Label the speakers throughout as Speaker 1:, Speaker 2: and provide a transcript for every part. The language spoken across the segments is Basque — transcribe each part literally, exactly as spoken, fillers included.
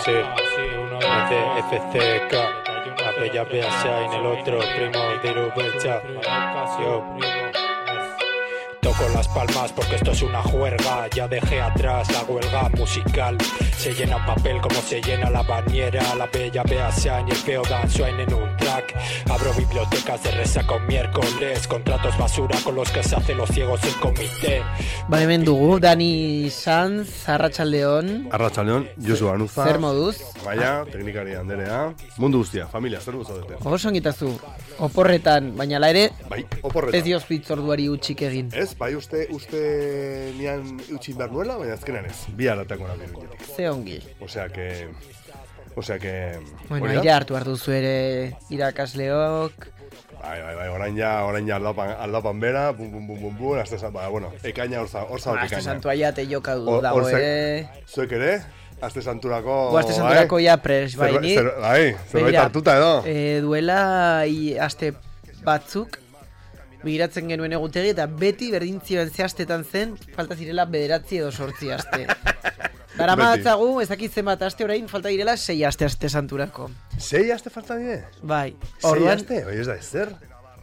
Speaker 1: sí. F C K, la bella Beasha en el otro, primo Diru Belcha. Yo toco las palmas porque esto es una juerga. Ya dejé atrás la huelga musical. Se llena un papel como se llena la bañera. La bella Beasha y el feo Dan suenan en un track. Abro bibliotecas de resaca un miércoles. Contratos basura con los que se hacen los ciegos el comité.
Speaker 2: Ba, hemen dugu, Dani Sanz, Arratsaldeon.
Speaker 3: Arratsaldeon, Josu Anuza.
Speaker 2: Zer moduz?
Speaker 3: Baina, teknikari anderea. Mundu guztia, familia, zer guzo dute.
Speaker 2: Oso ongitazu, oporretan, baina la ere,
Speaker 3: bai, oporretan.
Speaker 2: Ez dioz bitzorduari utxik egin.
Speaker 3: Ez, bai, uste, uste nian utxin behar nuela, baina azkenan ez. Bi haratako nabi duenetik.
Speaker 2: Ze ongi.
Speaker 3: Osea que... Osea que...
Speaker 2: Bueno, aire hartu hartu zu ere irakasleok.
Speaker 3: Bai, bai, bai, orain ja, orain ja aldapan, aldapan bera, bum, bum, bum, bum, bum, azte zan, ba, bueno, ekaina orza, orza
Speaker 2: ba,
Speaker 3: ekaina.
Speaker 2: Azte santua ja te joka du dago ere.
Speaker 3: Zuek ere, azte santurako...
Speaker 2: Bo, azte santurako ja pres, bai, ni.
Speaker 3: Bai, zerbait hartuta edo.
Speaker 2: E, duela i, aste batzuk, begiratzen genuen egutegi, eta beti berdintzioen ze astetan zen, falta zirela bederatzi edo sortzi aste. Dara maatzagu, ez dakit zenbat aste orain, falta direla sei aste aste santurako.
Speaker 3: Sei aste falta dire?
Speaker 2: Bai.
Speaker 3: Sei aste? Bai, ez da ezer?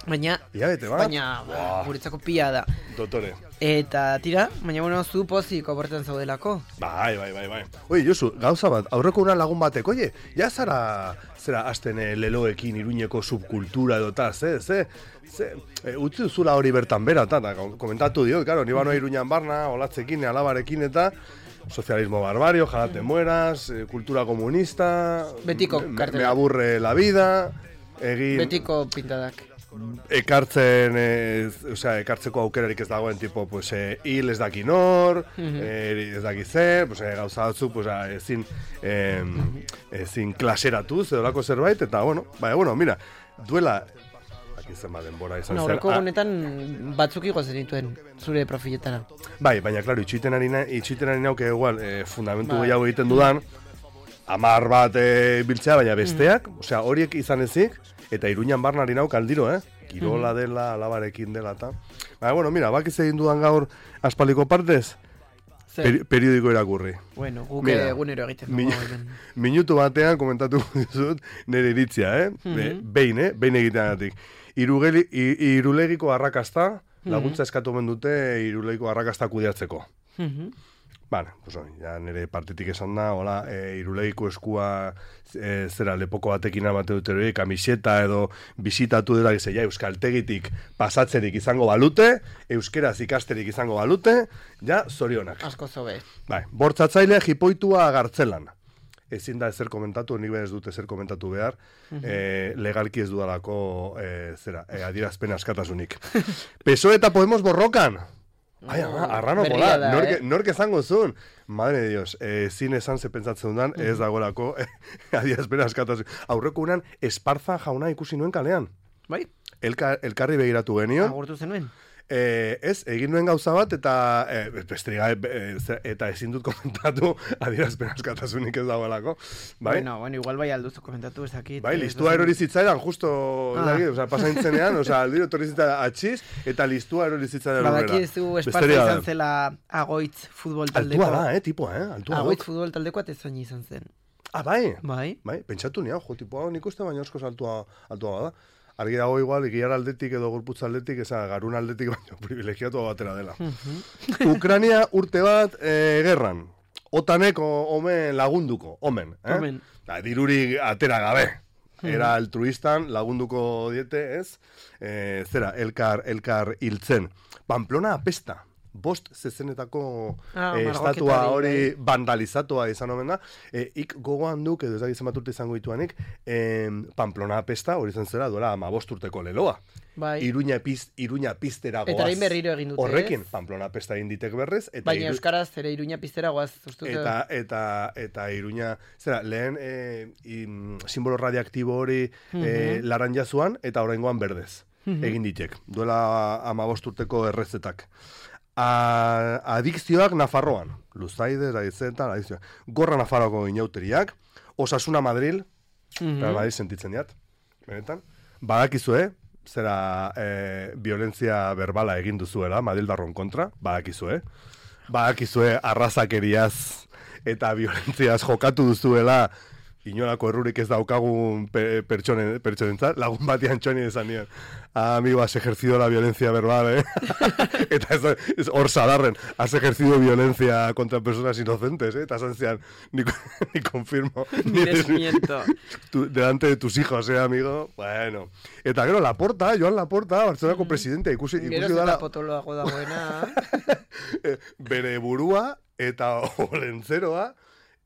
Speaker 2: Baina,
Speaker 3: Iabete bat?
Speaker 2: baina, wow. Guretzako pila da.
Speaker 3: Dotore.
Speaker 2: Eta, tira, baina bueno, zu pozik oporten zaudelako.
Speaker 3: Bai, bai, bai, bai. Oi, Josu, gauza bat, aurreko una lagun batek, oie, ja zara, zera, azten leloekin iruñeko subkultura edo ta, ze, ze, ze, e, utzi duzula hori bertan bera, eta, komentatu diot, karo, ni bano iruñan barna, olatzekin, alabarekin, eta, socialismo barbario, ojalá te mueras, eh, cultura comunista,
Speaker 2: betiko
Speaker 3: me, me aburre la vida, egin...
Speaker 2: Betiko pintadak.
Speaker 3: Ekartzen, eh, o sea, ekartzeko aukerarik ez dagoen, tipo, pues, eh, hil ez daki nor, uh-huh. eh, ez daki zer, pues, eh, gauza batzu, pues, eh, ezin, eh, ezin klaseratuz, edo lako zerbait, eta, bueno, bai, bueno, mira, duela, izan ba denbora izan
Speaker 2: no,
Speaker 3: zen.
Speaker 2: Horreko honetan batzuk igozen dituen zure profiletara.
Speaker 3: Bai, baina, klaro, itxuiten harina, itxuiten harina hauke igual, eh, fundamentu gehiago egiten dudan, amar bat eh, biltzea, baina besteak, mm. osea, horiek izan ezik, eta Iruñan barna harina hauk aldiro, eh? Kirola mm. dela, alabarekin dela, eta... Baina, bueno, mira, bakiz egin dudan gaur aspaliko partez, Peri periodiko irakurri.
Speaker 2: Bueno, guk egunero egiten dugu.
Speaker 3: Min minutu batean komentatu dizut nire iritzia, eh? Mm-hmm. Behin, eh? Behin egiteagatik. Irugeli, irulegiko arrakasta, laguntza eskatu omen dute irulegiko arrakasta kudeatzeko. Mm-hmm. Bale, pues hori, ja nire partitik esan da, hola, e, irulegiko eskua e, zera lepoko batekin amate dute hori, kamiseta edo bisitatu dela, gizia, ja, euskaltegitik pasatzerik izango balute, euskeraz ikasterik izango balute, ja, zorionak.
Speaker 2: Asko zobe.
Speaker 3: Bai, bortzatzaile jipoitua gartzelan. Ezin da ezer komentatu, nik ben ez dut ezer komentatu behar, uh-huh. e, legalki ez dudalako, e, zera, e, adierazpen askatasunik. P S O E eta Podemos borrokan! Ai, ama, arrano pola, norke, eh? norke zango zuen. Madre de Dios, eh, zin esan ze pentsatzen dudan, mm. ez dagoelako eh, adierazpen askatasun. Aurreko unan, Esparza jauna ikusi nuen kalean.
Speaker 2: Bai?
Speaker 3: Elka, elkarri begiratu genio.
Speaker 2: Agurtu zenuen?
Speaker 3: Eh, ez, egin nuen gauza bat, eta eh, bestriga, eh, eta ezin dut komentatu adierazpen askatasunik ez dagoelako. Bai?
Speaker 2: Bueno, bueno, igual bai alduzu komentatu ezakit.
Speaker 3: Bai, listua erori zitzaidan, justo, ah. o sea, pasaintzenean, o sea, aldiro torri zitzaidan atxiz, eta listua erori zitzaidan horrela.
Speaker 2: Badaki ez du Esparza izan zela Agoitz futbol taldeko.
Speaker 3: Altua da, eh, tipo, eh? Altua
Speaker 2: Agoitz futbol taldeko atezoin izan zen.
Speaker 3: Ah, bai?
Speaker 2: Bai.
Speaker 3: Bai, pentsatu nian, jo, tipo, nik uste baina osko altua, altua bada. Argi dago igual, ikiar aldetik edo gorputza aldetik, eza, garun aldetik baino privilegiatu batera dela. Uh-huh. Ukrania urte bat e, gerran. Otaneko omen lagunduko, omen. Eh?
Speaker 2: Omen.
Speaker 3: Da, diruri atera gabe. Era altruistan lagunduko diete, ez? E, zera, elkar, elkar hiltzen. Pamplona apesta. Bost zezenetako ah, eh, estatua hori vandalizatua izan omen da. Eh, ik gogoan duk, edo ezagitzen bat urte izango dituanik, eh, Pamplona apesta, hori zen zera, duela ama bost urteko leloa.
Speaker 2: Bai.
Speaker 3: Iruña, piz, Iruña piztera goaz.
Speaker 2: Eta hain berriro egin dute,
Speaker 3: horrekin, Pamplona apesta egin ditek berrez. Eta
Speaker 2: baina iru... euskaraz ere Iruña piztera goaz.
Speaker 3: Eta, eta, eta Iruña, zera, lehen eh, in, simbolo radioaktibo hori uh-huh. eh, laranja zuan, eta oraingoan berdez. Uh-huh. Egin ditek. Duela ama bost urteko errezetak. A, adikzioak Nafarroan, Luzaide, Raizetan, adikzioak. Gorra Nafarroako inauteriak, Osasuna Madril, mm-hmm. Madrid sentitzen diat, benetan. Badakizue, zera e, violentzia berbala egin duzuela, Madrildarron kontra, badakizue. Badakizue arrazakeriaz eta violentziaz jokatu duzuela, inolako errurik ez daukagun pe, pertsonen, pertsonentzat, lagun batian txoni esan nian. Ah, amigo, has ejercido la violencia verbal, eh? Eta ez, ez hor sadarren, has ejercido violencia contra personas inocentes, eh? Eta esan zian, ni, ni confirmo.
Speaker 2: Ni desmiento.
Speaker 3: Tu, delante de tus hijos, eh, amigo? Bueno. Eta gero, Laporta, Joan Laporta, Bartzelonako mm. presidente, ikusi, ikusi
Speaker 2: gero
Speaker 3: dala...
Speaker 2: Gero zeta potoloago dagoena.
Speaker 3: Bere burua eta olentzeroa,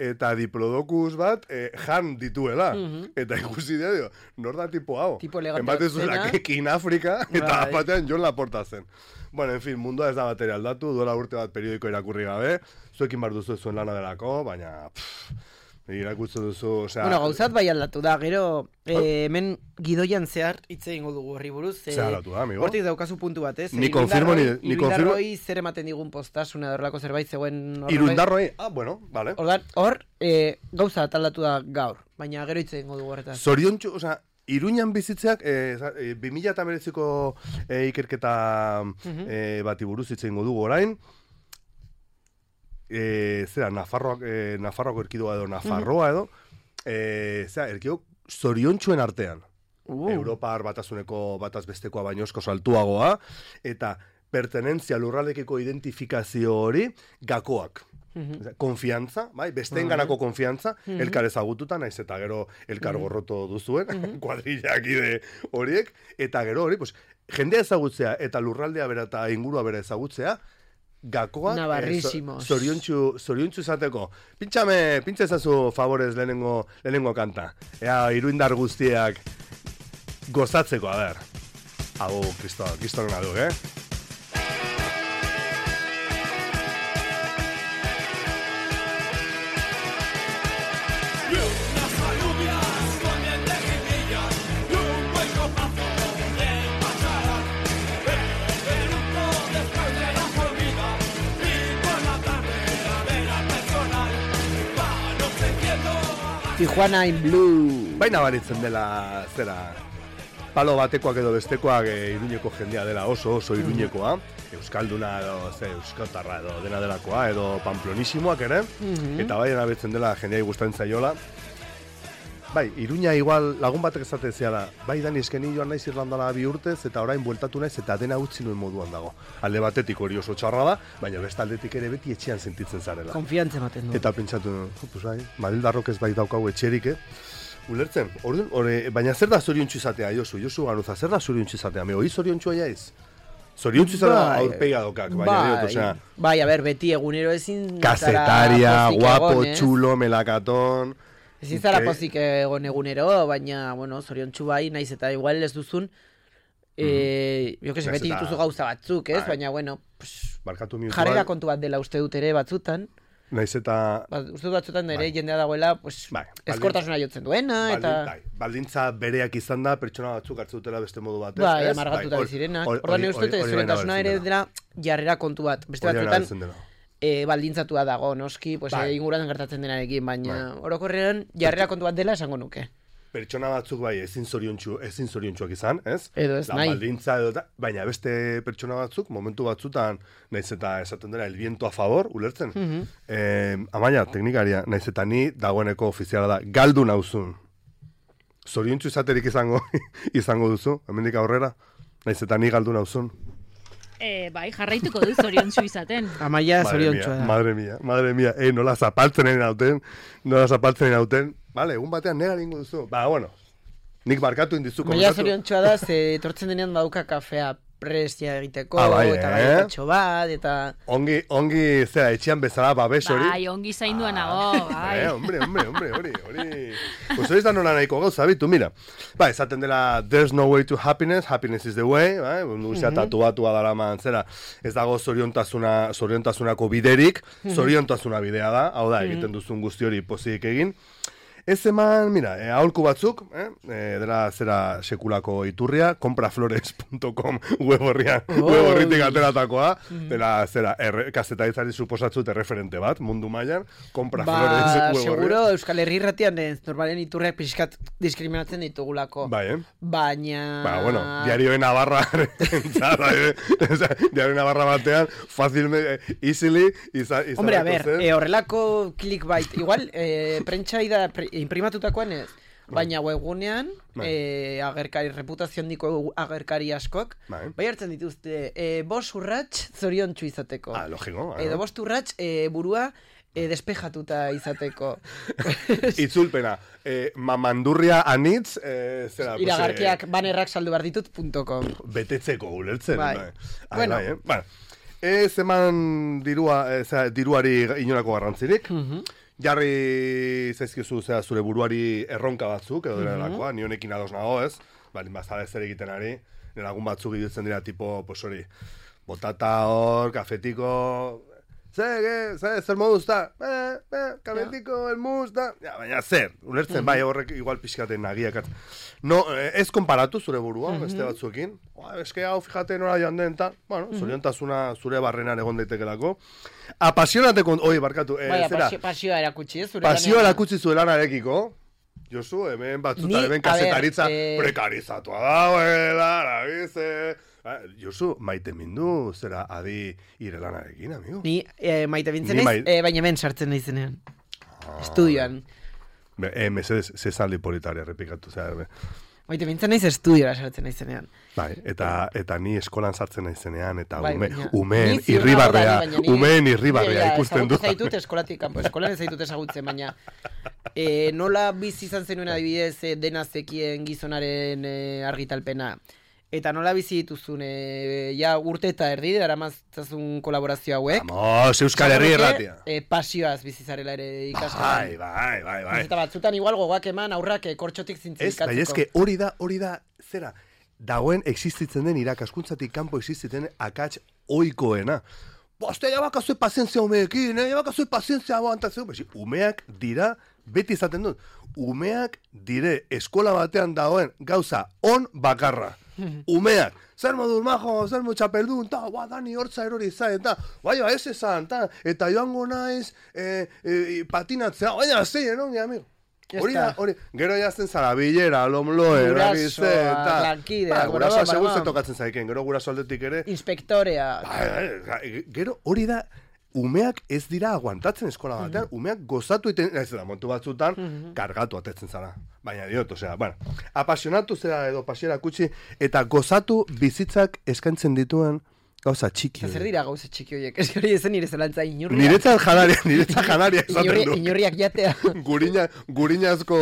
Speaker 3: eta diplodocus bat eh, jan dituela. Mm-hmm. Eta ikusi dira, dio, nor da tipo hau?
Speaker 2: Tipo elegante.
Speaker 3: Enbatezula, kekin Afrika, eta right. Batean Jon Laporta zen. Bueno, en fin, mundua ez da batera aldatu, duela urte bat periodiko irakurri gabe, zuekin bar duzu zuen lana delako, baina... Pff, irakurtzen duzu, osea...
Speaker 2: Bueno, gauzat bai aldatu da, gero, eh, hemen gidoian zehar, hitze egingo dugu horri buruz. Eh,
Speaker 3: Zer aldatu da, amigo?
Speaker 2: Hortik daukazu puntu bat, ez?
Speaker 3: Ni konfirmo, ni, ni konfirmo...
Speaker 2: Irundarroi zer ematen digun postasuna dorlako zerbait zegoen...
Speaker 3: Irundarroi? Ah, bueno, vale.
Speaker 2: Ordan, hor, eh, gauza aldatu da gaur, baina gero hitze egingo dugu horretaz.
Speaker 3: Zoriontxu, osea, Iruñan bizitzeak, eh, bi mila eta hemeretziko eh, ikerketa uh-huh. eh, bati buruz hitze egingo dugu orain, eh, zera, Nafarroak, eh, Nafarroako erkidua edo, Nafarroa edo, eh, zera, erkido zoriontxuen artean. Uh. Europar batasuneko bataz bestekoa baino esko saltuagoa, eta pertenentzia lurraldekiko identifikazio hori gakoak. Uh-huh. Konfiantza, bai, besteen ganako konfiantza, uh-huh. elkar ezagututa, naiz eta gero elkar uh-huh. gorroto duzuen, uh-huh. kuadrillak ide horiek, eta gero hori, pues, jendea ezagutzea eta lurraldea bera eta ingurua bera ezagutzea, gakoak,
Speaker 2: navarrísimos.
Speaker 3: Eh, zoriontxu, zoriontxu izateko. Pintxame, pintxa ezazu favorez lehenengo, lehenengo kanta. Ea, iruindar guztiak gozatzeko, a ber. Hau, kristo, kristo nena du, eh?
Speaker 2: Tijuana in Blue.
Speaker 3: Baina baritzen dela, zera, palo batekoak edo bestekoak e, Iruñeko jendea dela oso, oso Iruñekoa. Mm-hmm. Euskalduna edo, ze, euskotarra edo dena delakoa, edo pamplonisimoak ere. Mm-hmm. Eta bai, abetzen dela jendea gustatzen zaiola. Bai, Iruña igual lagun batek esaten zela, bai Dani eskeni joan naiz Irlandara bi urtez eta orain bueltatu naiz eta dena utzi nuen moduan dago. Alde batetik hori oso txarra da, baina beste aldetik ere beti etxean sentitzen zarela.
Speaker 2: Konfiantza ematen du.
Speaker 3: Eta pentsatu, pues bai, Madrildarrok ez bai daukau etxerik, eh? Ulertzen, orduan, ore, baina zer da zoriontsu izatea, Josu, Josu Ganuza, zer da zoriontsu izatea, me hoi zoriontsu aiaiz? Zoriontzu izan da aurpega dokak, baina
Speaker 2: bai,
Speaker 3: diot, osea...
Speaker 2: Bai, a ber, beti egunero ezin...
Speaker 3: Kasetaria, guapo, egon, txulo, melakaton...
Speaker 2: Ezin zara pozik egon egunero, baina, bueno, zoriontsu bai, naiz eta igual ez duzun... Eh, jo que se, beti dituzu gauza batzuk, ez? Baina, bueno, pues, jarrera kontu bat dela uste dut ere batzutan.
Speaker 3: Naiz eta...
Speaker 2: Ba, uste dut batzutan ere jendea dagoela, pues, bai, eskortasuna jotzen duena, eta...
Speaker 3: Bai, baldintza bereak izan da, pertsona batzuk hartzu dutela beste modu batez.
Speaker 2: Bai, amargatuta bizirenak. Ordan uste dut, zoriontasuna ere dela jarrera kontu bat. Beste batzutan, e, baldintzatua dago, noski, pues, bai. e, inguruan gertatzen denarekin, baina bai. Orokorrean jarrera kontu bat dela esango nuke.
Speaker 3: Pertsona batzuk bai ezin zoriontsu, ezin zoriontsuak izan, ez?
Speaker 2: Edo ez, nahi.
Speaker 3: Baldintza edo da, baina beste pertsona batzuk momentu batzutan naiz eta esaten dela el viento a favor, ulertzen. Mm-hmm. Eh, amaia, teknikaria, naiz eta ni dagoeneko ofiziala da, galdu nauzun. Zoriontsu izaterik izango izango duzu, hemendik aurrera, naiz eta ni galdu nauzun.
Speaker 4: Eh, bai, jarraituko du zoriontsu izaten.
Speaker 2: Amaia zoriontsua da.
Speaker 3: Madre mia, madre mia, eh, nola zapaltzen egin hauten, nola zapaltzen egin hauten. Vale, egun batean nega lingu duzu. Ba, bueno, nik barkatu indizu.
Speaker 2: Maia zoriontsua da, ze etortzen denean dauka kafea prestia egiteko,
Speaker 3: ah, bai,
Speaker 2: eta
Speaker 3: eh?
Speaker 2: gaitatxo bat, eta...
Speaker 3: Ongi, ongi, zera, etxean bezala babes hori.
Speaker 4: Bai, ongi zaindua nago, bai.
Speaker 3: Eh, hombre, hombre, hombre, hori, hori... Pues hori da nola nahiko gauza, bitu, mira. Ba, esaten dela, there's no way to happiness, happiness is the way, bai, guztia mm-hmm. tatuatua dara man, zera, ez dago zoriontasuna, zoriontasunako biderik, mm-hmm. zoriontasuna bidea da, hau da, egiten duzun guzti hori pozik egin. Ez eman, mira, eh, aholku batzuk, eh? eh, dela zera sekulako iturria, compraflores punto com web horrian,
Speaker 2: Oh.
Speaker 3: web horritik ateratakoa, dela zera, erre, kazetaritzari suposatzut erreferente bat, mundu mailan, compraflores
Speaker 2: Ba,
Speaker 3: web horrian.
Speaker 2: seguro Euskal Herri irratian ez, normalen iturriak pixkat diskriminatzen ditugulako.
Speaker 3: Bai, eh?
Speaker 2: Baina...
Speaker 3: Ba, bueno, diarioen Navarra, eh? diarioen Navarra batean, fácil, easily, iza, iza
Speaker 2: Hombre, a ver, eh, horrelako clickbait, igual, eh, prentsa ida, pre, imprimatutakoan ez, baina webgunean,
Speaker 3: Bai.
Speaker 2: eh, agerkari, reputazio handiko agerkari askok,
Speaker 3: Bai.
Speaker 2: bai hartzen dituzte, eh, bos urrats zoriontsu izateko.
Speaker 3: Ah, logiko.
Speaker 2: Edo bost urrats eh, burua eh, despejatuta izateko.
Speaker 3: Itzulpena, eh, mamandurria anitz, eh, zera, pues,
Speaker 2: Iragarkiak banerrak saldu behar ditut punto com.
Speaker 3: betetzeko ulertzen.
Speaker 2: Bai.
Speaker 3: Bai. Ah,
Speaker 2: Bueno.
Speaker 3: bai, eh? Bueno, ez eman dirua, eh, zera, diruari inolako garrantzirik. Jarri zaizkizu zera, zure buruari erronka batzuk, edo dira delakoa, ni honekin ados nago, ez? Bali, bazara ez ere egiten ari, nire lagun batzuk idutzen dira, tipo, pues hori, botata hor, kafetiko, ze, ge, ze, zer moduz da? Eh, eh, kafetiko, el mus, da? Ja, baina zer, ulertzen, bai, horrek igual pixkaten nagiak. No, eh, ez konparatu zure burua, beste batzuekin. Oa, eske hau, fijate nora joan den, ta, bueno, zoriontasuna zure barrenan egon daitekelako. Apasionate kont, oi, barkatu, eh,
Speaker 2: Bai,
Speaker 3: zera,
Speaker 2: pasio, pasioa erakutsi, ez? Zure
Speaker 3: pasioa
Speaker 2: lanean.
Speaker 3: erakutsi zuen lanarekiko. Josu, hemen batzuta,
Speaker 2: Ni,
Speaker 3: hemen
Speaker 2: a ber,
Speaker 3: kasetaritza
Speaker 2: eh,
Speaker 3: prekarizatua dagoela, lagize. Josu, maite mindu, zera, adi ire lanarekin, amigo.
Speaker 2: Ni eh, maite bintzen
Speaker 3: Ni
Speaker 2: naiz,
Speaker 3: mai-
Speaker 2: eh, baina hemen sartzen naizenean. Estudioan.
Speaker 3: Be, eh, mesedez, zezaldi politaria repikatu, zera, be.
Speaker 2: Maite bintzen naiz estudiora sartzen naizenean.
Speaker 3: Bai, eta, eta ni eskolan sartzen naizenean, eta
Speaker 2: Bai,
Speaker 3: ume,
Speaker 2: baina-
Speaker 3: umeen
Speaker 2: ni ziur
Speaker 3: irribarrea,
Speaker 2: nago da, baina ni-
Speaker 3: umeen irribarrea
Speaker 2: Ni, ja,
Speaker 3: ikusten
Speaker 2: ezagutu
Speaker 3: dut.
Speaker 2: zaitut eskolatik kanpo, eskolan ez zaitut ezagutzen, baina e, nola bizi izan zenuen adibidez e, dena zekien gizonaren e, argitalpena. Eta nola bizi dituzun, e, ja urte eta erdi, daramaztazun kolaborazio hauek.
Speaker 3: Vamos, Euskal Herri
Speaker 2: Esango nuke,
Speaker 3: erratia.
Speaker 2: E, pasioaz bizi zarela ere ikasgelan.
Speaker 3: Bai, bai, bai, bai.
Speaker 2: Eta batzutan igual gogoak eman aurrak e, kortxotik
Speaker 3: Ez,
Speaker 2: zintzilikatzeko.
Speaker 3: bai, eske hori da, hori da, zera, dagoen existitzen den irakaskuntzatik kanpo existitzen den akats oikoena. Boste, ja bakazue pazientzia umeekin, eh? Ja bakazue pazientzia aguantatzeu. Besi, umeak dira, beti izaten dut, umeak dire eskola batean dagoen gauza on bakarra. Umeak, zer moduz majo, zer mo txapeldun, ta, ba, dani hortza erori zain, ta, baina ez esan, ta, eta joango naiz e, e, patinatzea, baina zein, no, mi amigo.
Speaker 2: Ya
Speaker 3: Hori da,
Speaker 2: está.
Speaker 3: hori, gero jazten zara, bilera, lomloe,
Speaker 2: Gurasoa,
Speaker 3: eragize, eta...
Speaker 2: lankidea,
Speaker 3: Ba,
Speaker 2: gurasoa,
Speaker 3: gurasoa segun
Speaker 2: ba,
Speaker 3: ze
Speaker 2: ba.
Speaker 3: tokatzen zaiken, gero guraso aldetik ere...
Speaker 2: Inspektorea.
Speaker 3: Bai, bai, gero hori da, umeak ez dira aguantatzen eskola batean, umeak gozatu iten, ez da, montu batzutan, kargatu atetzen zara. Baina diot, osea, bueno, apasionatu zera edo pasiera kutsi, eta gozatu bizitzak eskaintzen dituen gauza txiki.
Speaker 2: Eta zer dira gauza txiki horiek? Ez hori ezen nire zelantza inurriak.
Speaker 3: Niretzat janaria, niretzat janaria esaten
Speaker 2: Inurri,
Speaker 3: du.
Speaker 2: inurriak jatea.
Speaker 3: Gurina, gurinazko,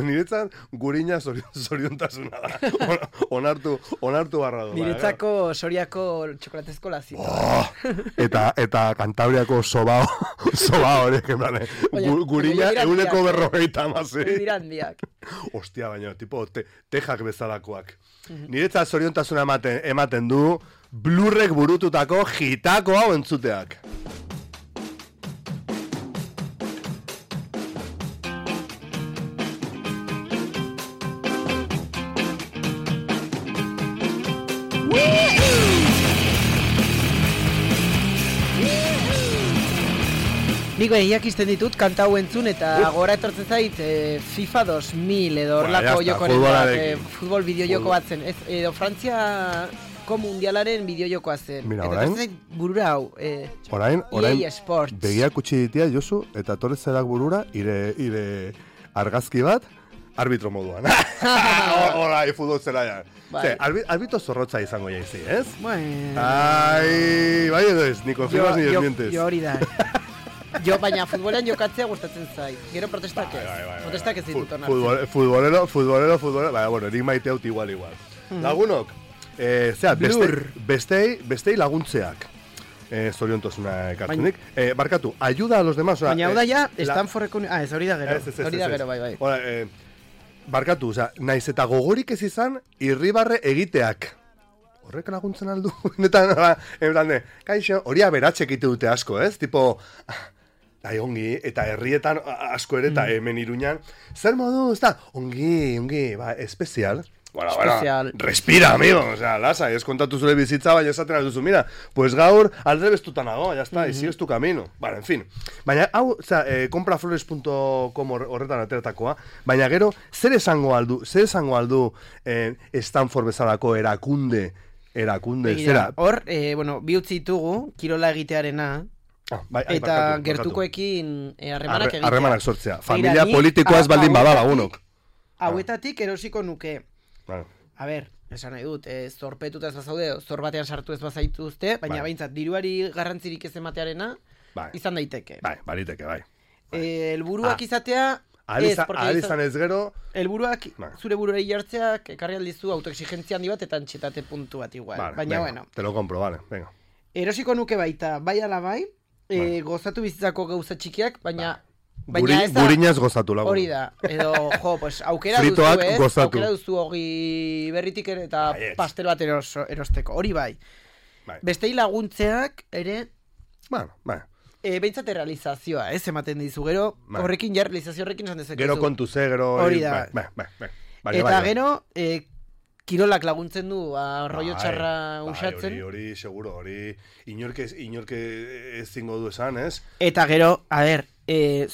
Speaker 3: niretzat gurina zorion, zoriontasuna da. On- Onartu, onartu barra du.
Speaker 2: Niretzako soriako txokolatezko lazita.
Speaker 3: Oh, eta, eta Kantabriako sobao, sobao horiek, en plan, eh,
Speaker 2: Baina-
Speaker 3: gu- gurina
Speaker 2: baina dira
Speaker 3: euneko
Speaker 2: handiak, eh?
Speaker 3: berrogeita amazi.
Speaker 2: Hori dira handiak.
Speaker 3: Ostia, baina, tipo, te, tejak bezalakoak. Niretzat zoriontasuna ematen, ematen du, blurrek burututako jitako hau entzuteak.
Speaker 2: Nik behiak izten ditut kanta hau entzun eta gora etortzen zait eh, FIFA dos mil edo
Speaker 3: Bueno,
Speaker 2: horlako
Speaker 3: ya está,
Speaker 2: jokoren bat,
Speaker 3: futbolarekin.
Speaker 2: eh, futbol bideo joko bat zen. Ez, edo Frantziako mundialaren bideo jokoa zen.
Speaker 3: Mira,
Speaker 2: eta
Speaker 3: orain-
Speaker 2: etortzen zait burura hau. Eh,
Speaker 3: Orain, orain,
Speaker 2: E A Sports.
Speaker 3: begiak utzi ditia, Josu, eta torrezerak burura, ire, ire argazki bat, arbitro moduan. Horai, futbol zela ja.
Speaker 2: Bai.
Speaker 3: Ze, arbi, arbitro zorrotza izango jaizi, ez?
Speaker 2: Bueno,
Speaker 3: Ai, bai edo ez, ni konfirmas ni
Speaker 2: jo,
Speaker 3: desmientes.
Speaker 2: jo hori da. Jo, baina futbolean jokatzea gustatzen zait. Gero protestak ez.
Speaker 3: Bai, bai, bai,
Speaker 2: Protestak ez ditut
Speaker 3: Fu-
Speaker 2: onartzen.
Speaker 3: futbol- Futbolero, futbolero, futbolero, baina, bueno, nik maite haut igual, igual. Lagunok, eh, zera, beste,
Speaker 2: Blur.
Speaker 3: bestei, bestei laguntzeak. Eh, zoriontasuna ekartzenik. Eh, barkatu, ayuda a los demás. Oza,
Speaker 2: Baina hau da ja,
Speaker 3: eh, la-
Speaker 2: Stanfordeko... uni- Ah, ez hori da gero.
Speaker 3: Ez, ez, ez,
Speaker 2: Hori da
Speaker 3: ez, ez.
Speaker 2: gero, bai, bai.
Speaker 3: Ora, eh, barkatu, oza, naiz eta gogorik ez izan, irribarre egiteak. Horrek laguntzen aldu? Netan, en plan de, kaixo, hori aberatxek egite dute asko, ez? Tipo, Ai, ongi, eta herrietan asko ere, eta hemen Iruñan, zer modu, ez da, ongi, ongi, ba, espezial. Bueno,
Speaker 2: Especial.
Speaker 3: bueno, respira, amigo, o sea, lasa, ez kontatu zure bizitza, baina esaten alduzu, mira, pues gaur aldrebestuta nago, ya está, mm -hmm. y sigues tu camino. Bueno, en fin. Baina, hau, o sea, eh, compraflores punto com horretan ateratakoa, baina gero, zer esango aldu, zer esango aldu eh, Stanford bezalako erakunde, erakunde,
Speaker 2: Begira,
Speaker 3: zera?
Speaker 2: Hor, eh, bueno, bi utzi ditugu, kirola egitearena,
Speaker 3: Ah, bai, ai,
Speaker 2: eta
Speaker 3: barkatu,
Speaker 2: gertukoekin eh, harremanak
Speaker 3: Arre,
Speaker 2: egitea.
Speaker 3: Harremanak sortzea.
Speaker 2: Begira,
Speaker 3: Familia
Speaker 2: ni
Speaker 3: politikoa ez
Speaker 2: a-
Speaker 3: baldin bada
Speaker 2: hauetatik-
Speaker 3: lagunok.
Speaker 2: Hauetatik erosiko nuke.
Speaker 3: Claro.
Speaker 2: A ber, esan nahi dut, eh, zorpetuta ez bazaude, zor batean sartu ez bazaituzte, baina
Speaker 3: Bai.
Speaker 2: behintzat, diruari garrantzirik ez ematearena,
Speaker 3: Bai,
Speaker 2: izan daiteke.
Speaker 3: bai, bariteke, bai.
Speaker 2: Eh, helburuak
Speaker 3: Ah.
Speaker 2: izatea,
Speaker 3: Ahal
Speaker 2: ez,
Speaker 3: izan,
Speaker 2: porque
Speaker 3: ahal
Speaker 2: izan-
Speaker 3: izan ez gero,
Speaker 2: helburuak
Speaker 3: Bai.
Speaker 2: zure buruari jartzeak ekarri aldizu autoexigentzia handi bat eta antxetate puntu bat igual.
Speaker 3: vale,
Speaker 2: Baina,
Speaker 3: venga,
Speaker 2: bueno,
Speaker 3: te lo compro, vale, venga.
Speaker 2: erosiko nuke baita, bai ala bai, eh,
Speaker 3: Bai.
Speaker 2: gozatu bizitzako gauza txikiak, baina...
Speaker 3: Guri,
Speaker 2: Baina ez da,
Speaker 3: gurinaz gozatu lagun.
Speaker 2: hori da, edo, jo, pues, aukera
Speaker 3: Fritoak
Speaker 2: duzu, ez?
Speaker 3: gozatu.
Speaker 2: Aukera duzu hogi berritik ere eta
Speaker 3: Baietz.
Speaker 2: pastel bat eros, erosteko, hori bai.
Speaker 3: Bai.
Speaker 2: Bestei laguntzeak ere,
Speaker 3: Bueno, bai.
Speaker 2: e, behintzat errealizazioa, ez, ematen dizu, gero,
Speaker 3: Bai.
Speaker 2: horrekin ja, realizazio horrekin esan dezakezu.
Speaker 3: Gero kontu ze, gero...
Speaker 2: Hori da.
Speaker 3: Bai, bai, bai, bai. Bai,
Speaker 2: Eta
Speaker 3: bai, bai.
Speaker 2: gero, e, kirolak laguntzen du, arroio
Speaker 3: Bai,
Speaker 2: txarra
Speaker 3: bai,
Speaker 2: usatzen.
Speaker 3: Hori, hori, seguro, hori... Inorke, inorke ez zingo du esan, ez?
Speaker 2: Eta gero, a ber, e,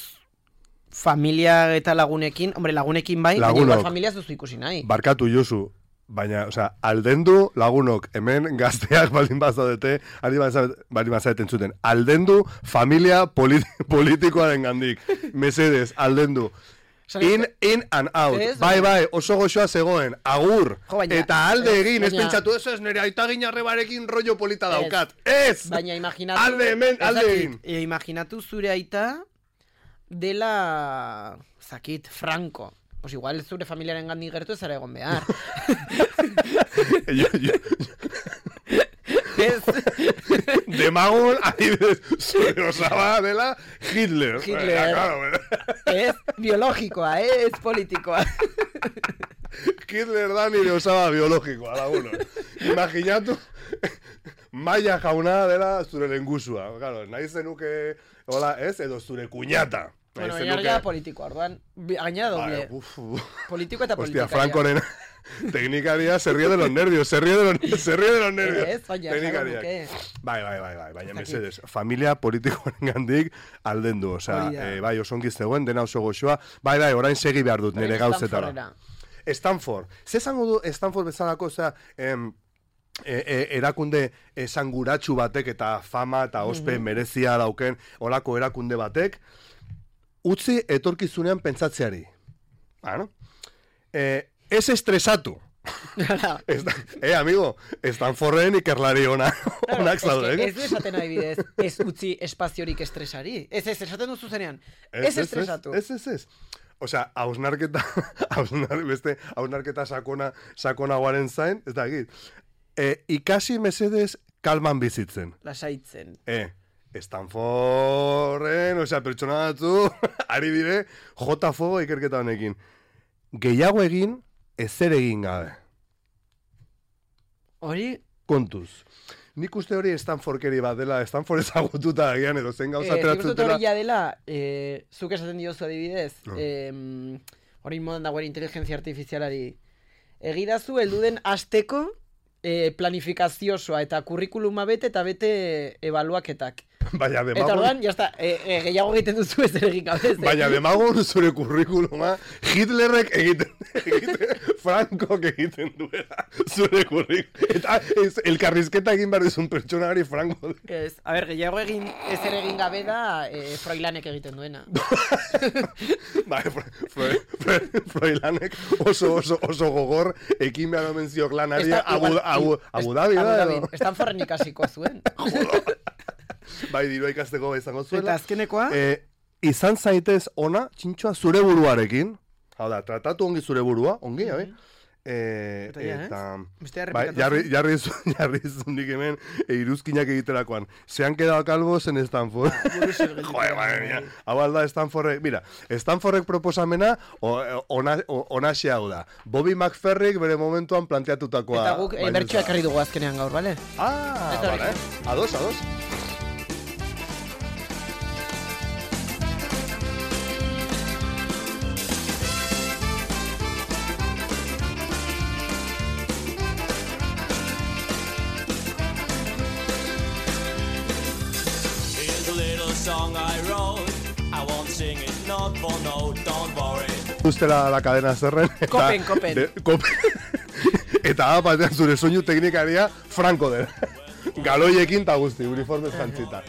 Speaker 2: familia eta lagunekin, hombre, lagunekin bai, baina
Speaker 3: Lagunok.
Speaker 2: igual familia ez duzu ikusi nahi.
Speaker 3: Barkatu Josu, baina, osea, aldendu lagunok, hemen gazteak baldin bazaudete, ari baldin bazaudeten zuten, aldendu familia politi politikoaren gandik. Mesedez, aldendu.
Speaker 2: Esan
Speaker 3: In,
Speaker 2: ez-
Speaker 3: in and out.
Speaker 2: Ez,
Speaker 3: Bai,
Speaker 2: baina-
Speaker 3: bai, oso goxoa zegoen. Agur.
Speaker 2: Jo, baina-
Speaker 3: Eta alde
Speaker 2: ez,
Speaker 3: egin, ez
Speaker 2: baina-
Speaker 3: pentsatu, eso ez nire aita ginarrebarekin rollo polita
Speaker 2: Ez.
Speaker 3: daukat. Ez!
Speaker 2: Baina imaginatu...
Speaker 3: Alde hemen,
Speaker 2: ez
Speaker 3: alde
Speaker 2: dakit,
Speaker 3: egin.
Speaker 2: e, imaginatu zure aita dela, zakit, Franco. Pues igual zure familiaren gandik gertu ez zara egon behar.
Speaker 3: Yo- yo-
Speaker 2: Ez,
Speaker 3: Demagun, adibidez, zure osaba dela Hitler.
Speaker 2: Hitler.
Speaker 3: Eh, claro,
Speaker 2: ez biologikoa, eh? Ez politikoa.
Speaker 3: Hitler da nire osaba biologikoa, laguno. Imaginatu, maia jauna dela zure lengusua. Claro, nahi zenuke, hola, ez, edo zure kuñata. Nahi
Speaker 2: Bueno, baina ja politikoa, orduan, bi- gainera doble.
Speaker 3: Bai, uf, uf.
Speaker 2: Politiko eta
Speaker 3: Hostia,
Speaker 2: politikaria.
Speaker 3: Francoren teknikaria se ríe de los nervios, se ríe de los, se ríe de los nervios.
Speaker 2: Ez, baina,
Speaker 3: Teknikariak.
Speaker 2: jago nuke.
Speaker 3: Bai, bai, bai, bai, baina
Speaker 2: Zakit.
Speaker 3: mesedez, familia politikoaren gandik aldendu, osea,
Speaker 2: Hori da.
Speaker 3: eh, bai, osongi zegoen, dena oso goxoa, bai, bai, orain segi behar dut nire
Speaker 2: Orain
Speaker 3: gauzetara.
Speaker 2: Stanfordera.
Speaker 3: Stanford, ze esango du Stanford bezalako, osea, em, e, e, erakunde esanguratsu batek eta fama eta ospe merezia dauken olako erakunde batek, utzi etorkizunean pentsatzeari. Bueno, eh, ez estresatu. Ez da, eh, amigo, Stanforden ikerlari ona, onak zaude,
Speaker 2: Ez
Speaker 3: eh?
Speaker 2: ez du esaten adibidez, ez utzi espaziorik estresari. Ez ez, esaten duzu zenean. Ez estresatu.
Speaker 3: Ez, ez, ez. Osea, hausnarketa, hausnar, beste, hausnarketa sakona, sakonagoaren zain, ez da egit. E, ikasi mesedez kalman bizitzen.
Speaker 2: Lasaitzen.
Speaker 3: E, Stanforden, osea, pertsona batzu, ari dire, jota fuego ikerketa honekin. Gehiago egin, ezer egin gabe.
Speaker 2: Hori,
Speaker 3: Kontuz. Nik uste hori Stanfordkeri bat dela, Stanford ezagututa agian edo zen gauza
Speaker 2: eh, nik uste dut
Speaker 3: ateratzutela.
Speaker 2: hori ja dela, eh, zuk esaten diozu adibidez,
Speaker 3: No.
Speaker 2: eh, hori modan dagoen inteligentzia artifizialari. Egidazu, heldu den asteko eh, planifikaziosoa eta kurrikuluma bete eta bete ebaluaketak.
Speaker 3: Baina
Speaker 2: Eta
Speaker 3: demagun,
Speaker 2: orduan, jazta, e, e, gehiago egiten duzu ez ere egin gabe. ez, eh?
Speaker 3: baina demagun zure kurrikuluma Hitlerrek egiten, egiten Frankok egiten duela zure kurrikuluma. Eta ez, elkarrizketa egin behar dizun pertsonari Franko.
Speaker 2: Ez, a ber, gehiago egin, ez ere egin gabe da e, Froilanek egiten duena.
Speaker 3: Bai, Froilanek Fro, Fro, Froilanek oso, oso, oso gogor ekin behar omen ziok lanari
Speaker 2: Esta-
Speaker 3: Abu,
Speaker 2: igual-
Speaker 3: Abu,
Speaker 2: est-
Speaker 3: Abu Dhabi da,
Speaker 2: Abu
Speaker 3: edo?
Speaker 2: Dhabi. Stanforden ikasiko zuen.
Speaker 3: Bai, dirua ikasteko izango
Speaker 2: Eta
Speaker 3: zuela.
Speaker 2: azkenekoa,
Speaker 3: Eh, izan zaitez ona, txintxoa zure buruarekin. Hau da, tratatu ongi zure burua, ongi, mm -hmm. Eh,
Speaker 2: Eta ja,
Speaker 3: eta,
Speaker 2: Bestea
Speaker 3: bai,
Speaker 2: errepikatu
Speaker 3: jarri,
Speaker 2: zen.
Speaker 3: jarri, zu- jarri zundik hemen e, iruzkinak egiterakoan. Se han quedado calvos en Stanford.
Speaker 2: Buruz gelditu
Speaker 3: Joder,
Speaker 2: da.
Speaker 3: madre mía. Hau alda Stanfordek, mira, Stanfordek proposamena o, ona, o, onaxe hau da. Bobby McFerrick bere momentuan planteatutakoa.
Speaker 2: Eta guk
Speaker 3: baino
Speaker 2: bertxoa
Speaker 3: ez da.
Speaker 2: ekarri dugu azkenean gaur, bale?
Speaker 3: Ah,
Speaker 2: Eta hori.
Speaker 3: vale. Ados, ados. Ustela la cadena zerren. Eta,
Speaker 2: Kopen, kopen.
Speaker 3: De, kopen. Eta batean zure soinu teknikaria Franco dela. Galoiekin eta guzti, uniformez jantzita.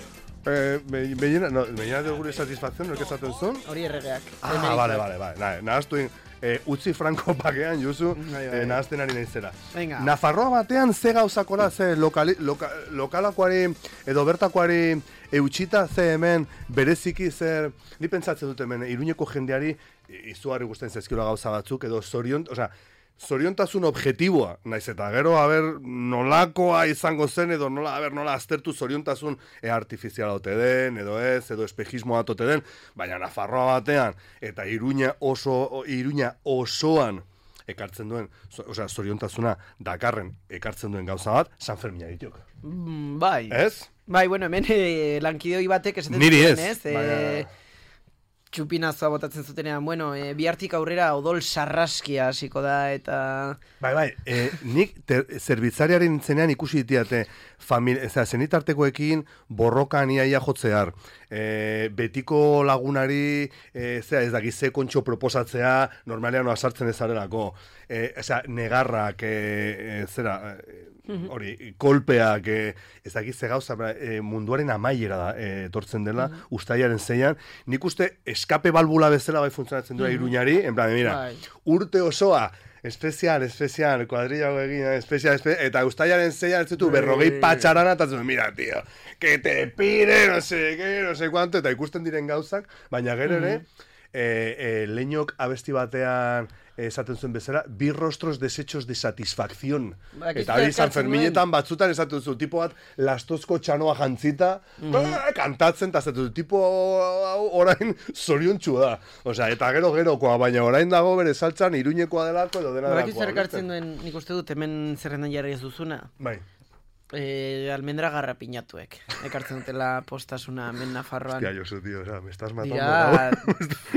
Speaker 3: Eh, Beñena, no, beñena de gure satisfacción, no esaten zon?
Speaker 2: Hori erregeak.
Speaker 3: Ah, vale, vale, vale. Nahaztu eh, utzi Franco pakean, Josu, eh, nahazten ari naizera.
Speaker 2: Venga.
Speaker 3: Nafarroa batean ze gauzakora, ze lokali, loka, lokalakoari edo bertakoari eutxita, ze hemen bereziki zer, ni pentsatzen dut hemen, Iruñeko jendeari izugarri gusten zezkiola gauza batzuk, edo zorion, osea, zoriontasun objektiboa, naiz eta gero, haber, nolakoa izango zen, edo nola, haber, nola aztertu zoriontasun e, artifiziala ote den, edo ez, edo espejismoa ote den, baina Nafarroa batean, eta Iruña oso, Iruña osoan ekartzen duen, so, osea, zoriontasuna dakarren ekartzen duen gauza bat, San Fermina dituk.
Speaker 2: Mm, bai.
Speaker 3: Ez?
Speaker 2: Bai, bueno, hemen eh, lankidoi batek esaten
Speaker 3: Niri ez,
Speaker 2: ez? Eh,
Speaker 3: baina...
Speaker 2: Txupinazoa botatzen zutenean, bueno, e, bihartik aurrera odol sarraskia hasiko da, eta...
Speaker 3: Bai, bai, e, nik ter, zerbitzariaren zenean ikusi ditiate, eza, zenitartekoekin borrokan iaia jotzear, e, betiko lagunari, e, zera, ez dakiz, ze kontxo proposatzea, normalean sartzen ezarelako, e, eza, negarrak, e, e, zera... E, hori, kolpeak, e, ez dakiz ze gauza, e, munduaren amaiera da, e, etortzen dela, mm -hmm. ustailaren zeian, nik uste eskape balbula bezala bai funtzionatzen duela mm -hmm. Iruñari, en plan, mira, bai. Urte osoa, espezial, espezial, kuadrillago egin, espezial, espezial, eta ustailaren zeian ez ditu berrogei patxarana, eta zuen, mira, tío, que te pide, no sé, que, no sé cuánto, eta ikusten diren gauzak, baina gero ere, mm -hmm. e, e, Leñok abesti batean, esaten zuen bezala, bi rostros desechos de satisfacción. Ba, eta hori San Ferminetan batzutan esaten zuen, tipo bat lastozko txanoa jantzita, mm -hmm. kantatzen, eta esaten zuen, tipo orain zoriontxua da. Osea, eta gero gerokoa, baina orain dago bere saltzan Iruñekoa delako edo dena
Speaker 2: ba,
Speaker 3: delakoa.
Speaker 2: Bakit zer ekartzen duen, nik uste dut, hemen zerrendan jarri ez duzuna.
Speaker 3: Bai.
Speaker 2: Eh, almendra garrapinatuek. Ekartzen dutela postasuna hemen Nafarroan.
Speaker 3: Hostia, Josu, tío, o sea, me estás matando.
Speaker 2: Dira,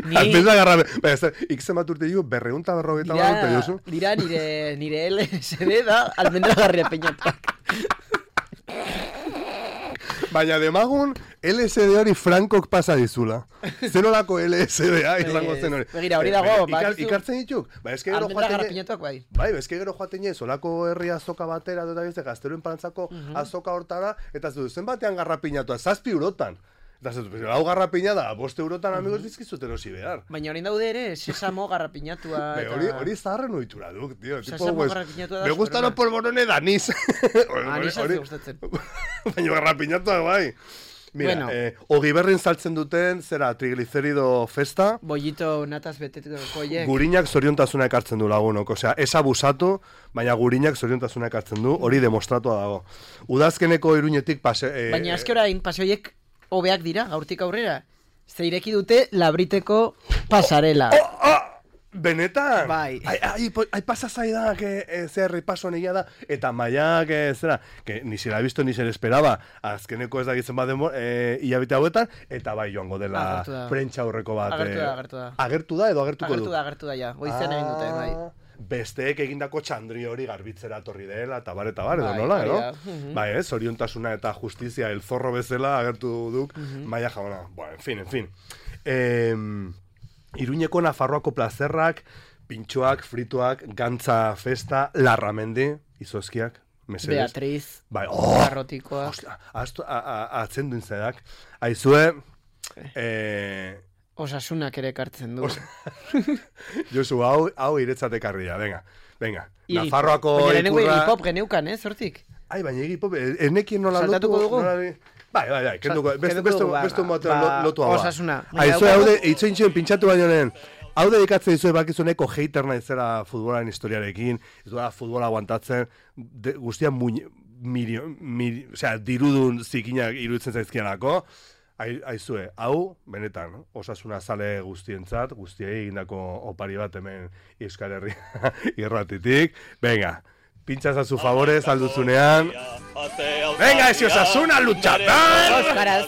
Speaker 3: ni... Almendra garrapinatuek. Ikzen bat urte digo, berreunta berrogeita bat urte, Josu.
Speaker 2: Dira, nire, nire L S D da almendra garrapinatuak.
Speaker 3: Baina demagun, L S D hori Frankok pasa dizula. Zenolako L S D-a izango zen hori.
Speaker 2: Begira, hori dago.
Speaker 3: Ikar, ikartzen dituk? Ba, eske gero
Speaker 2: almendra garrapinatuak bai.
Speaker 3: Bai, eske gero joaten ez, olako herri azoka batera, dut abizte, gazteroen parantzako uh -huh. azoka hortara, eta ez du, zenbatean garrapinatua, zazpi eurotan. Eta ez dut, hau garrapina da, boste eurotan amigos uh -huh. dizkizut erosi behar.
Speaker 2: Baina orain daude ere, sesamo garrapinatua.
Speaker 3: Be, hori, hori zaharren oitura duk, tío.
Speaker 2: Sesamo pues, garrapinatua da.
Speaker 3: Me gusta los polvorones de anís.
Speaker 2: Anís ez gustatzen.
Speaker 3: Baina garrapinatua bai. Mira,
Speaker 2: bueno.
Speaker 3: eh, Ogiberrin saltzen duten, zera, triglicerido festa.
Speaker 2: Bollito nataz betetiko koiek.
Speaker 3: Gurinak zoriontasuna ekartzen du lagunok. Osea, ez abusatu, baina gurinak zoriontasuna ekartzen du, hori demostratua dago. Udazkeneko Iruñetik pase... Eh,
Speaker 2: baina eske orain, paseoiek hobeak dira, gaurtik aurrera. Zeireki dute labriteko pasarela.
Speaker 3: Oh, oh! Benetan?
Speaker 2: Bai.
Speaker 3: Ai, ai, ai pasa zaida, que eh, zer repaso negia da, eta maia, que zera, que ni se la he visto ni se le esperaba, azkeneko ez da gizen bat demor, eh, hilabete hauetan, eta bai joango dela prentsa aurreko bat.
Speaker 2: Agertu da, agertu da.
Speaker 3: Agertu da edo agertuko
Speaker 2: agertu
Speaker 3: du?
Speaker 2: Da, agertu da, ja. Goizean egin dute, bai.
Speaker 3: Besteek egindako txandri hori garbitzera torri dela, eta bar, eta bar, edo nola, edo? Uh -huh. Bai, ez, oriontasuna eta justizia, el zorro bezala agertu duk, uh -huh. maia jauna. Bueno, en fin, en fin. Eh, Iruñeko Nafarroako plazerrak, pintxoak, frituak, gantza festa, larramendi, izozkiak, mesedes.
Speaker 2: Beatriz,
Speaker 3: bai, oh,
Speaker 2: garrotikoak.
Speaker 3: Ostia, atzen duen zedak. Aizue, eh,
Speaker 2: Osasunak ere ekartzen du.
Speaker 3: Josu, hau, hau iretzate karria, venga, venga.
Speaker 2: Iri,
Speaker 3: Nafarroako
Speaker 2: ikurra... Baina lehenengo iripop geneukan, eh, zortik?
Speaker 3: Ai, baina iripop, enekien nola lotu.
Speaker 2: Saltatuko dugu?
Speaker 3: Nola... Bai, bai, bai, kenduko, beste un motel lotu hau.
Speaker 2: Osasuna.
Speaker 3: Aizu, haude, itzointxuen pintxatu baino nien, hau dedikatzen dizu bakizuneko hater naizera futbolaren historiarekin, ez duela futbola aguantatzen, de, guztia muñ, mirio, miri, o sea, dirudun zikinak iruditzen zaizkianako, aizue, hau, benetan, Osasuna zale guztientzat, guztiei egindako opari bat hemen Euskal Herria irratitik, venga, pinchas a su favores alduzunean. Venga, ese Osasuna luchatan!
Speaker 2: Oskaraz!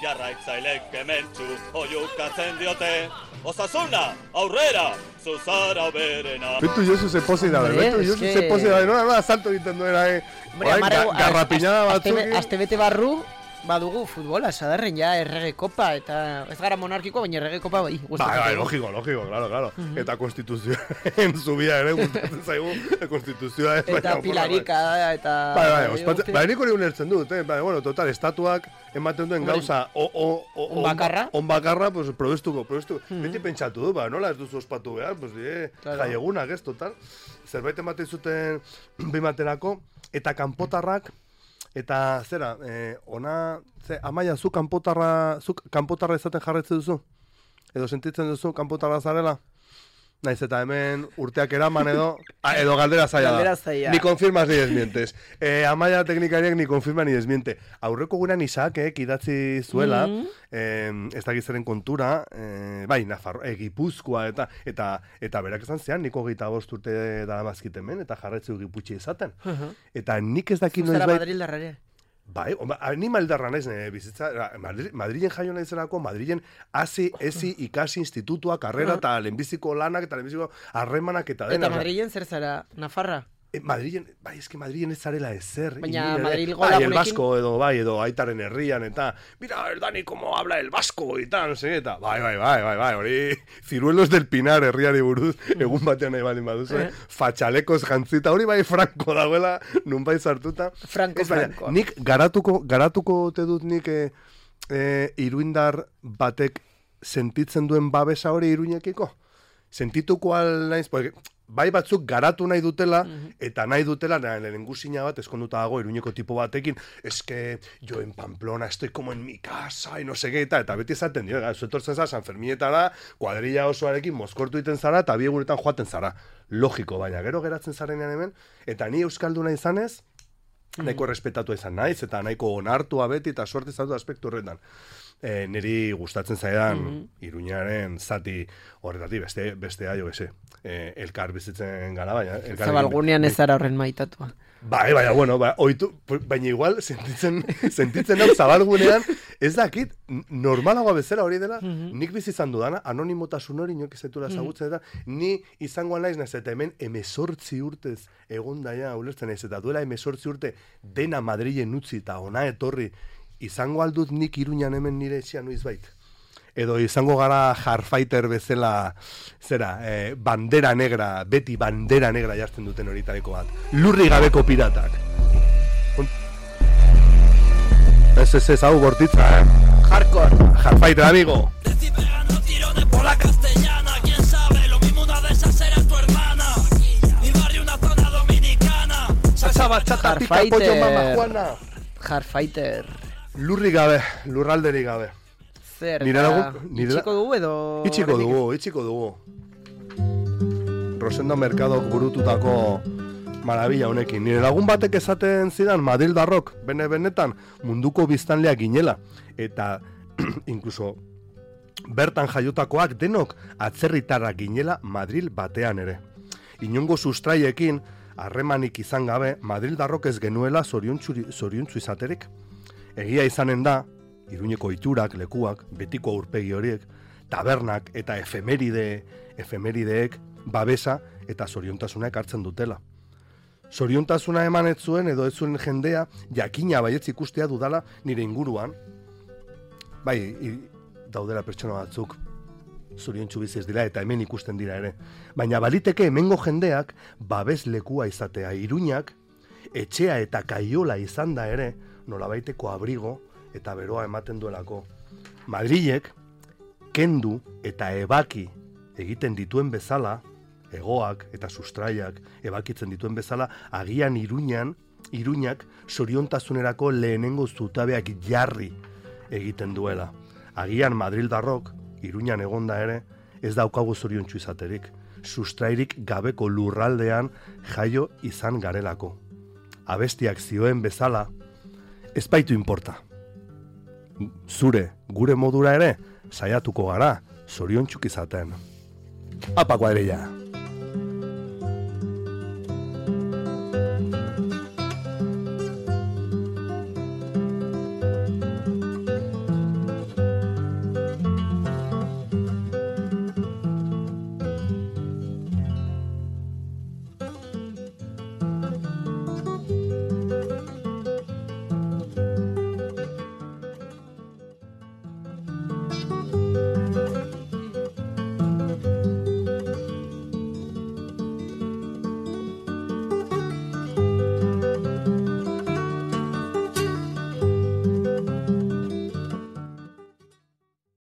Speaker 5: Jarraitzailek kementxu oiukatzen diote. Osasuna, aurrera, zuzara berena.
Speaker 3: Betu Josu se posi da, betu Josu se posi da, nola, nola, salto egiten duena, eh. Garrapinada batzuk.
Speaker 2: Aste bete barru, badugu futbola, sadarren ja errege kopa, eta ez gara monarkikoa, baina errege kopa bai.
Speaker 3: Bai, bai, logiko, logiko, claro, claro. Uh-huh. Eta konstituzioen zubia ere, gustatzen zaigu, konstituzioa.
Speaker 2: Eta pilarika, eta...
Speaker 3: Bai, bai, ospatzen, bai, nik hori ulertzen dut, eh? Bai, bueno, total, estatuak ematen duen gauza, o, o, o,
Speaker 2: on bakarra,
Speaker 3: on bakarra, pues, probestuko, probestuko. Uh-huh. Beti pentsatu du, ba, nola ez duzu ospatu behar, pues, eh, claro. Jaiegunak, ez, total. Zerbait ematen zuten bimaterako, eta kanpotarrak, eta zera, eh, ona, ze, Amaia, zu kanpotarra, zu kanpotarra izaten jarretzen duzu? Edo sentitzen duzu kanpotarra zarela? Naiz eta hemen urteak eraman edo, edo galdera zaila da.
Speaker 2: Galdera zaila.
Speaker 3: Ni confirmas ni desmientes. Eh, Amaia teknikariak ni confirma ni desmiente. Aurreko gurean Isaakek idatzi zuela, mm-hmm. eh, ez dakizaren kontura, eh, bai, Nafarro, eh, Gipuzkoa, eta, eta, eta berak esan zean, niko gehieta bost urte daramazkit hemen, eta jarretzu giputxe izaten. Uh-huh. Eta nik ez dakit noiz bai...
Speaker 2: Zuzera Madrildarrare.
Speaker 3: Bai, ni maldarra naiz, ne, bizitza, Madri, Madrilen jaio naizelako, Madrilen hasi, ezi, ikasi, institutua, karrera, eta lehenbiziko lanak, eta lehenbiziko harremanak, eta dena.
Speaker 2: Eta Madrilen zer zara, Nafarra?
Speaker 3: E, Madrilen, bai, eski Madrilen ez zarela ezer.
Speaker 2: Baina Madril
Speaker 3: gola bai, el
Speaker 2: gunekin...
Speaker 3: Basko, edo, bai, edo aitaren herrian, eta, mira, el Dani, como habla el Basko, eta, no sé, eta, bai, bai, bai, bai, bai, hori, Ciruelos del Pinar herriari buruz, egun batean nahi baldin baduzu, eh? Fatxalekos jantzita, hori bai Franco dagoela, nun bai sartuta.
Speaker 2: Franco,
Speaker 3: ez,
Speaker 2: Franco.
Speaker 3: Nik garatuko, garatuko te dut nik eh, eh, iruindar batek sentitzen duen babesa hori iruñekiko? Sentituko al naiz, porque... Bai batzuk garatu nahi dutela, mm-hmm. eta nahi dutela, lehenengu zina bat, eskonduta dago, Iruñeko tipo batekin, eske, jo en Pamplona, estoy como en mi casa, y no sé qué, eta, eta beti esaten, dio, zuetortzen zara, San Ferminetara, kuadrilla osoarekin, mozkortu iten zara, eta bi egunetan joaten zara. Logiko, baina, gero geratzen zarenean hemen, eta ni euskalduna izanez, nahiko respetatu izan naiz, eta nahiko onartua beti, eta suerte zatu aspektu horretan. E, niri gustatzen zaidan mm-hmm. Iruñaren zati horretatik beste bestea jo ese e, elkar bizitzen gara baina elkar
Speaker 2: Zabalgunean ez zara horren maitatua.
Speaker 3: Bai, baina bueno, ba, oitu, baina igual sentitzen sentitzen hau Zabalgunean ez dakit normalagoa bezala hori dela, mm-hmm. nik bizi izan dudana anonimotasun hori inoki zetura ezagutzen eta ni izango naiz naiz eta hemen hemezortzi urtez egondaia ulertzen naiz eta duela hemezortzi urte dena Madrilen utzi eta ona etorri izango aldut nik Iruñan hemen nire etxean noizbait. Edo izango gara Hardfighter bezala, zera, eh, bandera negra, beti bandera negra jartzen duten horitareko bat. Lurri gabeko piratak. Ez, ez, ez, hau bortitza, eh?
Speaker 2: Hardcore.
Speaker 3: Hardfighter, amigo.
Speaker 6: Decí pegando tirones por la castellana. ¿Quién sabe? Lo mismo una de esas era tu hermana. Mi barrio una zona dominicana.
Speaker 3: Salsa bachata, pica pollo, mama Juana.
Speaker 2: Hardfighter.
Speaker 3: Lurri gabe, lurralderi gabe.
Speaker 2: Zer,
Speaker 3: nire lagun, nire
Speaker 2: itxiko dugu edo...
Speaker 3: Itxiko dugu, itxiko dugu. Rosendo Mercado burututako marabila honekin. Nire lagun batek esaten zidan Madrildarrok, bene-benetan, munduko biztanleak ginela. Eta, inkluso, bertan jaiotakoak denok atzerritarrak ginela Madril batean ere. Inongo sustraiekin, harremanik izan gabe, Madrildarrok ez genuela zoriontsu izaterik. Egia izanen da, Iruñeko iturak, lekuak, betiko aurpegi horiek, tabernak eta efemeride, efemerideek babesa eta zoriontasuna ekartzen dutela. Zoriontasuna eman ez zuen edo ez zuen jendea jakina baietz ikustea dudala nire inguruan. Bai, i, daudela pertsona batzuk zoriontsu bizi ez dira eta hemen ikusten dira ere. Baina baliteke hemengo jendeak babes lekua izatea. Iruñak etxea eta kaiola izan da ere nolabaiteko abrigo eta beroa ematen duelako. Madrilek kendu eta ebaki egiten dituen bezala, egoak eta sustraiak ebakitzen dituen bezala, agian Iruñan, Iruñak zoriontasunerako lehenengo zutabeak jarri egiten duela. Agian Madrildarrok, Iruñan egonda ere, ez daukagu zoriontsu izaterik. Sustrairik gabeko lurraldean jaio izan garelako. Abestiak zioen bezala, ez baitu inporta. Zure, gure modura ere, saiatuko gara, zoriontsuk izaten. Apa kuadrilla!